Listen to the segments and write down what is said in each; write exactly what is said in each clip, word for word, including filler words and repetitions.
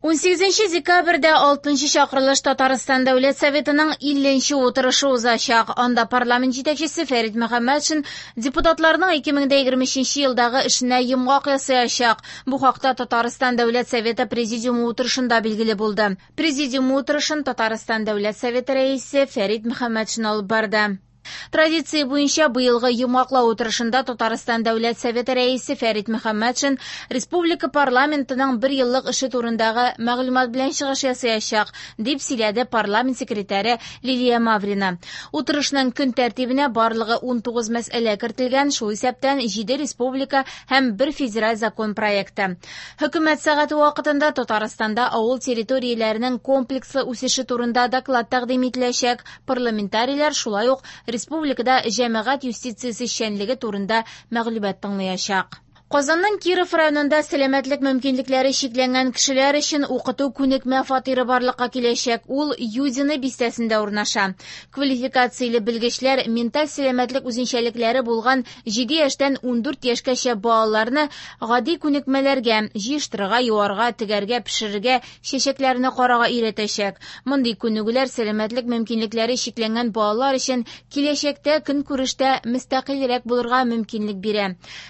Унсигезенче декабрьдә алтынчы чакырылыш Татарстан Дәүләт Советының илленче утырышы узачак. Анда парламент җитәкчесе Фәрит Мөхәммәтшин депутатларның ике мең дә егерме өченче елдагы эшенә йомгак ясаячак. Бу хакта Татарстан Дәүләт Советы Президиумы утырышында билгеле булды. Президиум утырышын Татарстан Дәүләт Советы рәисе Фәрит Мөхәммәтшин алып барды. Традиция буенча быелгы йомгаклау утырышында Татарстан Дәүләт Советы рәисе Фәрит Мөхәммәтшин республика парламентының бер еллык эше турындагы мәгълүмат белән чыгыш ясаячак, дип сөйләде парламент секретаре Лилия Маврина. Утырышның көн тәртибенә барлыгы унтугыз мәсьәлә кертелгән, шул исәптән җиде республика һәм бер федераль закон проекты. Хөкүмәт сәгате вакытында Татарстанда авыл территорияләренең комплекслы үсеше турында доклад тәкъдим ителәчәк. Парламентарийлар шулай ук республикада җәмәгать юстициясе эшчәнлеге турында мәгълүмат тыңлаячак. Казанның Киров районында сәламәтлек мөмкинлекләре чикләнгән кешеләр өчен укыту күнекмә фатиры барлыкка киләчәк. Ул Юдино бистәсендә урнаша. Квалификацияле белгечләр менталь сәламәтлек үзенчәлекләре булган җиде яшьтән ундүрт яшькәчә балаларны гади күнекмәләргә, җыештырырга, юарга, тегәргә, пешерергә, чәчәкләрне карарга өйрәтәчәк. Мондый күнегүләр сәламәтлек мөмкинлекләре чикләнгән балалар өчен киләчәктә көнкүрештә мөстәкыйльрәк булырга мөмкинлек бирә.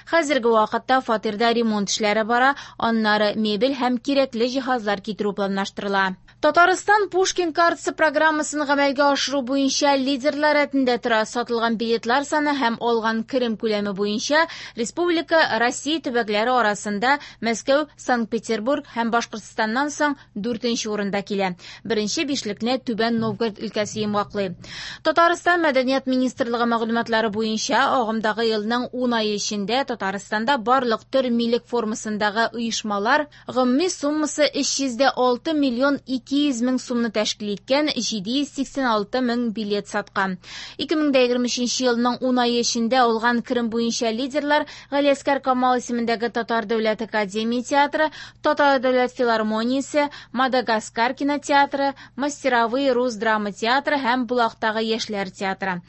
Хәзерге вакытта фатирда ремонт эшләре бара, аннары мебель һәм кирәкле җиһазлар китерү планлаштырыла. Татарстан Пушкин картасы программасын гамәлгә ашыру буенча лидерлар рәтендә тора. Сатылган билетлар саны һәм алган керем күләме буенча республика Россия төбәкләре арасында Мәскәү, Санкт-Петербург һәм Башкортстаннан соң дүртенче урында килә. Беренче бишлекне Түбән Новгород өлкәсе йомгаклый. Татарстан Мәдәният министрлыгы мәгълүматлары буенча агымдагы елның ун ае эчендә Татарстанда барлык төр милек формасындагы оешмалар гомуми суммасы өч йөз дә алты миллион ике йөз мең сумны тәшкил иткән җиде йөз сиксән алты мең билет саткан. Ике мең дә егерме өченче елның ун ае эчендә алган керем буенча лидерлар Галиәсгар Камал исемендәге Татар дәүләт академия театры, Татар дәүләт филармониясе, Мадагаскар кинотеатры, Мастеровые рус драма театры һәм Булактагы яшьләр театры.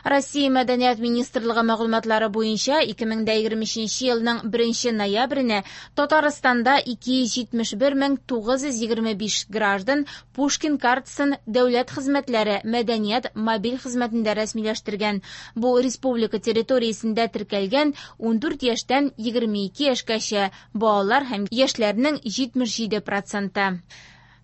Россия Мәдәният министрлыгы мәгълүматлары буенча ике мең дә егерме өченче елның беренче ноябренә Татарстанда ике йөз җитмеш бер мең тугыз йөз егерме биш граждан Пушкин картасын дәүләт хезмәтләре мәдәният мобиль хезмәтендә рәсмиләштергән. Бу республика территориясендә теркәлгән ундүрт яшьтән егерме ике яшькәчә балалар һәм яшьләрнең җитмеш җиде проценты.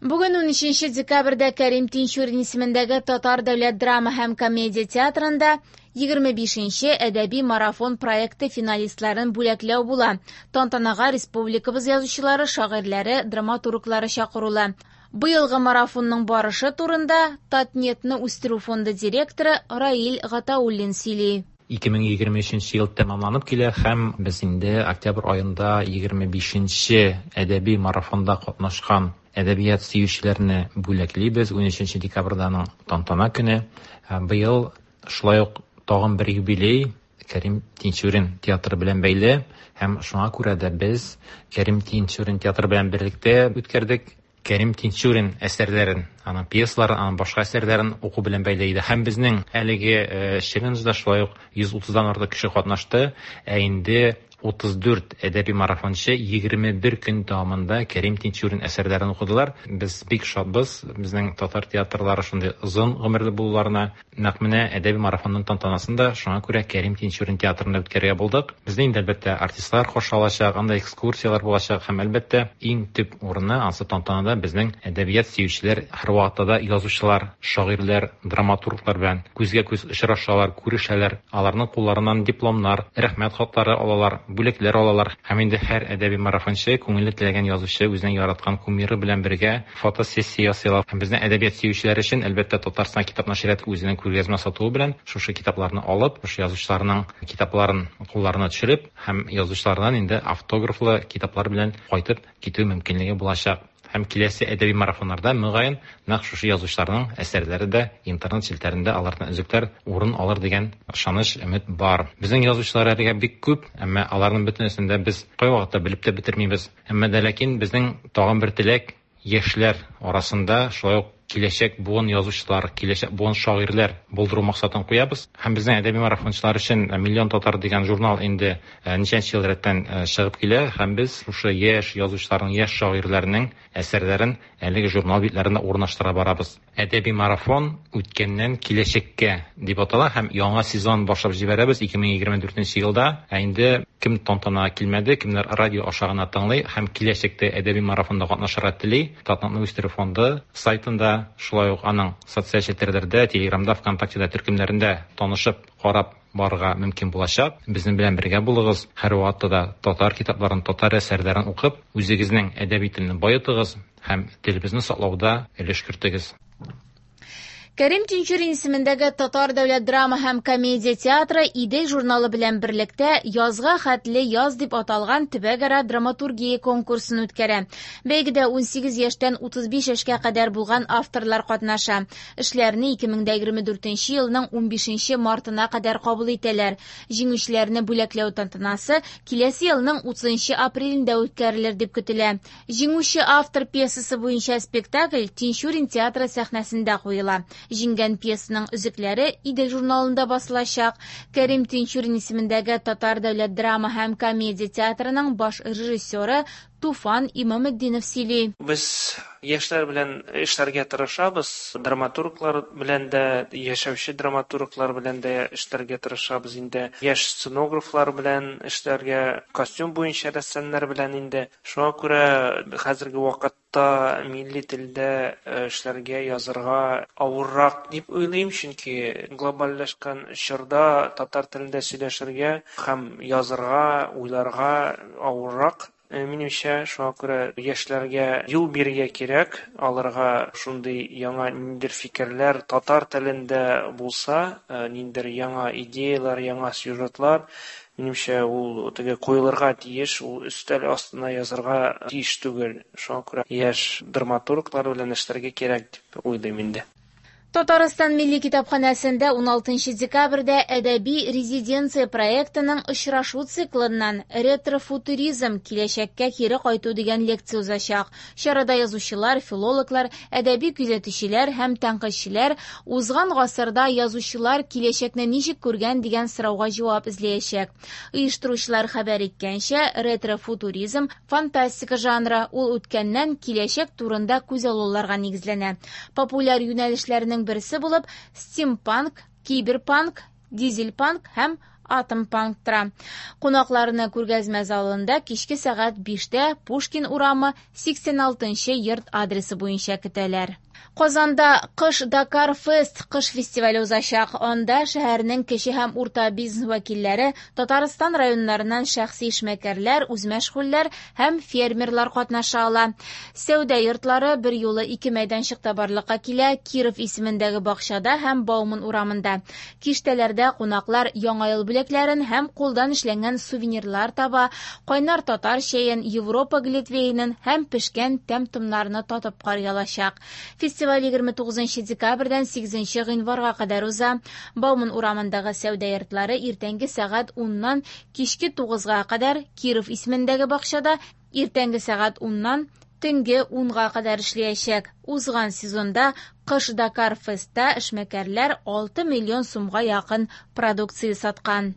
Бүген унөченче декабрьдә Кәрим Тинчурин исемендәге Татар дәүләт драма һәм комедия театрында егерме бишенче әдәби марафон проекты финалистларын бүләкләү була. Тантанага республикабыз язучылары, шагыйрьләре, драматурглары чакырыла. Быелгы марафонның барышы турында Татнетны үстерү фонды директоры Раил Гатауллин сөйли. Ике мең егерме өченче ел тәмамланып килә һәм без инде октябрь аенда егерме бишенче әдәби марафонда катнашкан әдәбият сөючеләрне бүләклибез. Унөченче декабрьдә аның тантана көне. Быел шулай ук тагын бер юбилей Кәрим Тинчурин театры белән бәйле һәм шуңа күрә дә без Кәрим Тинчурин театры белән берлектә үткәрдек. Кәрим Тинчурин әсәрләрен, аның пьесаларын, аның башка әсәрләрен уку белән бәйле иде. Һәм безнең әлеге, э, челленджда шулай ук йөз утыздан артык кеше катнашты. Ә инде утыз дүрт әдәби марафончы егерме бер көн дәвамында Кәрим Тинчурин әсәрләрен укыдылар. Без бик шатбыз, безнең татар театрлары шундый озын гомерле булуларына. Нәкъ менә әдәби марафонның тантанасын да шуңа күрә Кәрим Тинчурин театрында үткәрергә булдык. Безне инде әлбәттә артистлар каршы алачак, анда экскурсияләр булачак һәм әлбәттә иң төп урыны ансы тантанада безнең әдәбият сөючеләр, һәрвакытта да язучылар, шагыйрьләр, драматурглар белән күзгә күз очрашалар, күрешәләр. Аларның кулларыннан дипломнар, рәхмәт хатлары алалар, бүләкләр алалар. Һәм инде һәр әдәби марафончы күңеле теләгән язучы үзенең яраткан кумиры белән бергә фотосессия ясыйлар. Һәм безнең әдәбият сөючеләр өчен әлбәттә Татарстан китап нәшрияты үзенең күргәзмә сатуы белән шушы китапларны алып, шушы язучыларның китапларын кулларына төшереп һәм язучылардан инде автографлы китаплар белән кайтып китү мөмкинлеге булачак. Һәм киләсе әдәби марафоннарда мөгаен нәкъ шушы язучыларның әсәрләре дә интернет челтәрендә алардан өзекләр урын алыр дигән ышаныч, өмет бар. Безнең язучылар әлегә бик күп, әмма аларның бөтенесен дә без кайвакытта белеп тә бетермибез. Әмма дә ләкин безнең тагын бер теләк яшьләр арасында шулай ук Киләчәк буын язучылар, киләчәк буын шагыйрьләр булдыру максатын куябыз. Һәм безнең әдәби марафончылар өчен «Миллион татар» дигән журнал инде ничәнче ел рәттән чыгып килә, һәм без шушы яшь язучыларның, яшь шагыйрьләрнең әсәрләрен әлеге журнал битләрендә урнаштыра барабыз. Әдәби марафон үткәннән киләчәккә дип атала һәм яңа сезон башлап җибәрәбез ике мең егерме дүртенче елда. Ә инде кем тантанага килмәде, кемнәр радио аша гына тыңлый һәм киләчәктә әдәби марафонда катнашырга тели, Татнетны үстерү фонды сайтында, шулай ук аның социаль челтәрләрдә, Телеграмда, ВКонтактеда төркемнәрендә танышып, карап барырга мөмкин булачак. Безнең белән бергә булыгыз. Һәр вакытта да татар китапларын, татар әсәрләрен укып, үзегезнең әдәби телне баетыгыз һәм телебезне саклауда өлеш кертегез. Кәрим Тинчурин исемендәге Татар дәүләт драма һәм комедия театры «Идел» журналы белән берлектә «Язга хәтле яз» дип аталган төбәкара драматургия конкурсын үткәрә. Бәйгедә ун сигез яшьтән утыз биш яшькә кадәр булган авторлар катнаша. Эшләрне ике мең дә егерме дүртенче елның унбишенче мартына кадәр кабул итәләр. Җиңүчеләрне бүләкләү тантанасы киләсе елның утызынчы апрелендә үткәрелер дип көтелә. Җиңүче автор пьесасы буенча спектакль Тинчурин театры сәхнәсендә куела. Җиңгән пьесаның өзекләре «Идел» журналында басылачак. Кәрим Тинчурин исемендәге Татар дәүләт драма һәм комедия театрының баш режиссеры Туфан Имаметдинов сөйли. Без яшьләр белән эшләргә тырышабыз, драматурглар белән дә, яшәүче драматурглар белән дә эшләргә тырышабыз инде. Яшь сценографлар белән эшләргә, костюм буенча рәссамнар белән инде. Шуңа күрә хәзерге вакытта милли телдә эшләргә, язырга авыррак дип уйлыйм, чөнки глобальләшкән чорда татар телендә сөйләшергә һәм язырга, уйларга авыррак. Минемчә, шуңа күрә яшьләргә юл бирергә кирәк, аларга шундый яңа ниндидер фикерләр татар телендә булса, ниндидер яңа идеялар, яңа сюжетлар, минемчә, ул теге куелырга тиеш, ул өстәл астына язырга тиеш түгел. Шуңа күрә яшь драматурглар белән эшләргә кирәк дип уйлыйм инде. Татарстан Милли китапханәсендә уналтынчы декабрьдә әдәби резиденция проектының очрашу циклыннан ретрофутуризм киләчәккә кире кайту дигән лекция узачак. Чарада язучылар, филологлар, әдәби күзәтүчеләр һәм тәнкыйтьчеләр узган гасырда язучылар киләчәкне ничек күргән дигән сорауга җавап эзләячәк. Оештыручылар хәбәр иткәнчә, ретрофутуризм фантастика жанры, ул үткәннән киләчәк турында күзаллауларга нигезләнә. Популяр юнәлешләрнең берсе булып стимпанк, киберпанк, дизельпанк һәм атомпанк тора. Кунакларны күргәзмә залында кичке сәгать биштә Пушкин урамы сиксән алтынчы йорт адресы буенча көтәләр. Казанда Кыш Дакар Фест кыш фестивале узачак. Анда шәһәрнең кече һәм урта бизнес вәкилләре, Татарстан районнарыннан шәхси эшмәкәрләр, үзмәшгульләр һәм фермерлар катнаша ала. Сәүдә йортлары бер юлы ике мәйданчыкта барлыкка килә: Киров исемендәге бакчада һәм Бауман урамында. Киштәләрдә кунаклар яңа ел бүләкләрен һәм кулдан эшләнгән сувенирлар таба, кайнар татар чәен, Европа глинтвейнын һәм пешкән тәм-томнарны татып карый алачак. Фестиваль егерме тугызынчы декабрьдән сигезенче гыйнварга кадәр уза. Бауман урамындагы сәүдә йортлары иртәнге сәгать уннан кичке тугызга кадәр, Киров исемендәге бакчада иртәнге сәгать уннан төнге унга кадәр эшләячәк. Узган сезонда Кыш Дакар Фестта эшмәкәрләр алты миллион сумга якын продукция саткан.